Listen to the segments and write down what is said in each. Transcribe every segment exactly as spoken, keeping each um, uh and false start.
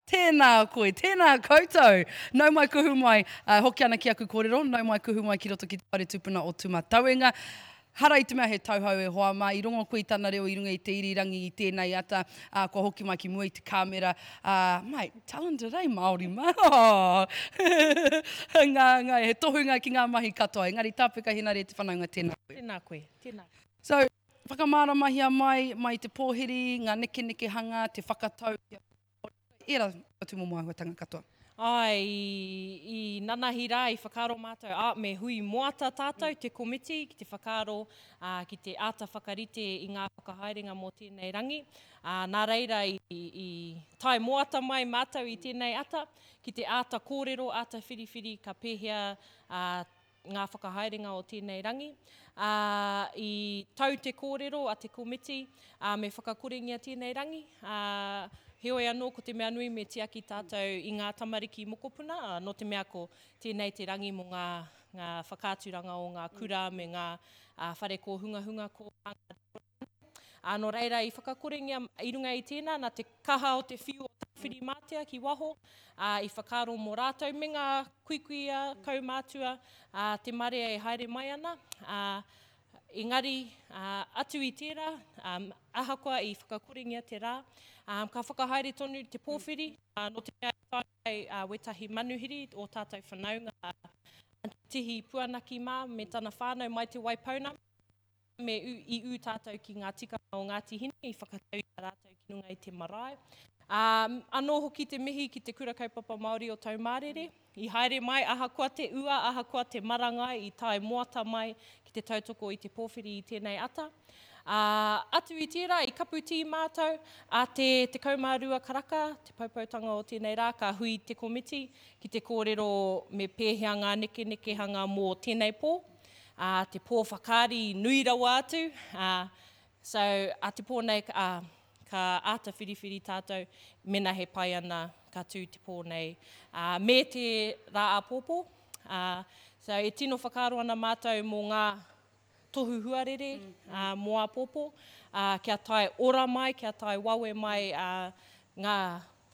Tēnā koe, tēnā koutou. Nau mai kuhu mai, uh, hoki ana ki aku kōrero, nau mai kuhu mai ki roto ki te whare tupuna o Tūmatauenga. Hara i te mea he tauhou e hoa mā, i rongo koe i tana reo i runga i te irirangi i tēnei ata, uh, kua hoki mai ki mua i te kāmera. Uh, mate, talented, eh, Māori mā? Oh. ngā, ngā, he tohunga ki ngā mahi katoa. Engari tāpeka hinare te whanaunga tēnā koe. Tēnā koe, tēnā. So, whakamāramahia mai, mai te pōhiri, ngā nekenekehanga, te whakatau, era tūmomo āhuatanga katoa. Ai, i, i nanahi rā, i whakaaro mātou, a, me hui moata tātou te komiti ki te whakaaro, ā, ki te āta whakarite i ngā whakahaerenga mō tēnei rangi. Ā, nā reira i, i tae moata mai mātou i tēnei ata, ki te āta kōrero, āta whiriwhiri ka pēhea ā, ngā whakahaerenga o tēnei rangi. Ā, i tau te kōrero a te komiti, ā, me whakakorengia tēnei rangi. Ā, heoi anō ko te mea nui me tiaki tātou i ngā tamariki mokopuna, ā, nō te mea ko tēnei te rangi mō ngā, ngā whakaaturanga o ngā kura me ngā ā, whare kōhungahunga ko Ā, nō reira i whakakorengia i runga i tēnā, nā te kaha o te whiu o Tāwhirimātea ki waho, ā, i whakaaro mō rātou me ngā kuikuia, kaumātua, ā, te marea e haere mai ana. Ā, engari, ā, atu i tērā, ā, ahakoa i whakakorengia te rā, ā, ka whakahaere tonu te pōwhiri, ā, nō te mea i tae mai ā, wētahi manuhiri o tātou whanaunga, ā, Tihi Puanaki mā me tana whānau mai Te Waipounamu, me ū, i ū tātou ki ngā tikanga o Ngāti Hine, i whakatau i a rātou ki runga i te marae. Ā, anō hoki te mihi ki te Kura Kaupapa Māori o Taumārere, i haere mai ahakoa te ua, ahakoa te marangai, i tae moata mai ki te tautoko i te pōwhiri i tēnei ata. Ā, atu i tērā, i kapu tī mātou, a te tekau mā rua karaka, te poupoutanga o tēnei rā, ka hui te komiti ki te kōrero me pēhea ngā nekenekehanga mō tēnei pō. Ā, te pō whakaari nui rawa atu, ā, so, a te pō nei, ā, ka āta whiriwhiri tātou, mena he pai ana, ka tū te pō nei, ā, me te rā āpōpō, ā, so, e tino whakaaro ana mātou mō ngā tohu huarere, ā, mō āpōpō, ā, kia tae ora mai, kia tae wawe mai, ā, ngā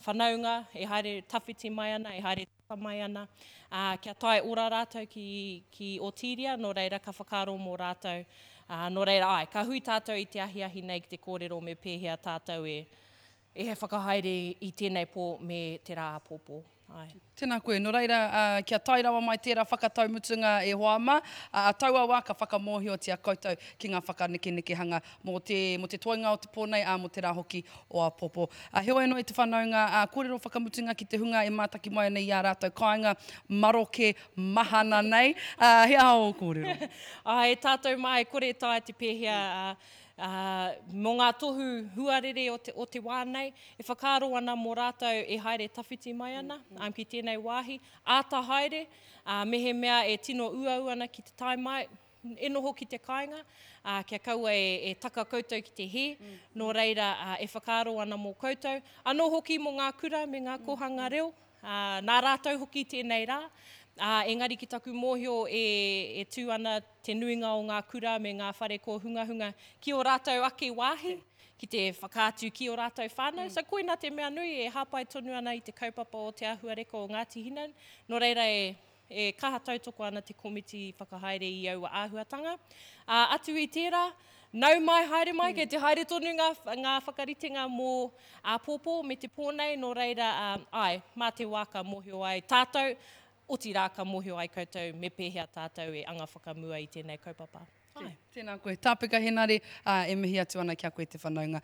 whanaunga e haere tawhiti mai ana, e haere tata mai ana, ā, kia tae ora rātou ki, ki Otīria, nō reira ka whakaaro mō rātou. Ā, nō reira, āe, ka hui tātou i te ahiahi nei ki te kōrero me pēhea tātou e, e whakahaere i tēnei pō me te rā āpōpō. Āe. Tēnā koe. Nō reira, ā, kia tae rawa mai tērā whakatau mutunga e hoa mā, ā, taua wā ka whakamōhiotia koutou ki ngā whakanekenekehanga mō te, mō te toenga o te pō nei, ā, mō te rā hoki o āpōpō. Ā, heoi anō e te whanaunga, ā, kōrero whakamutunga ki te hunga e mātaki mai ana i ā rātou kāinga maroke mahana nei, ā, he aha ō kōrero? Āe, tātou mā e kore e taea te pēhea, ā, Ā, mō ngā tohu huarere o te, o te wā nei, e whakaaro ana mō rātou e haere tawhiti mai ana um, ki tēnei wāhi, āta haere, ā, mehemea e tino uaua ana ki te tae mai, e noho ki te kāinga, ā, kia kaua e, e taka koutou ki te hē, nō reira, ā, e whakaaro ana mō koutou. Anō hoki mō ngā kura me ngā kōhanga reo, ā, nā rātou hoki tēnei rā, ā, engari ki taku mōhio e, e tū ana te nuinga o ngā kura me ngā whare kōhungahunga ki ō rātou ake wāhi, ki te whakaatu ki ō rātou whānau. So koina te mea nui e hāpai tonu ana i te kaupapa o Te Āhuareka o Ngāti Hina, nō reira e, e kaha tautoko ana te komiti whakahaere i aua āhuatanga. Ā, atu i tērā, nau mai, haere mai, kei te haere tonu ngā, ngā whakaritenga mō āpōpō me te pō nei, nō reira, ā, āe, mā te wā ka mōhio ai tātou, otirā ka mōhio ai koutou me pēhea tātou e anga whakamua i tēnei kaupapa. Āe. Tēnā koe. Tāpeka Henare, ā, e mihi atu ana ki a koe te whanaunga.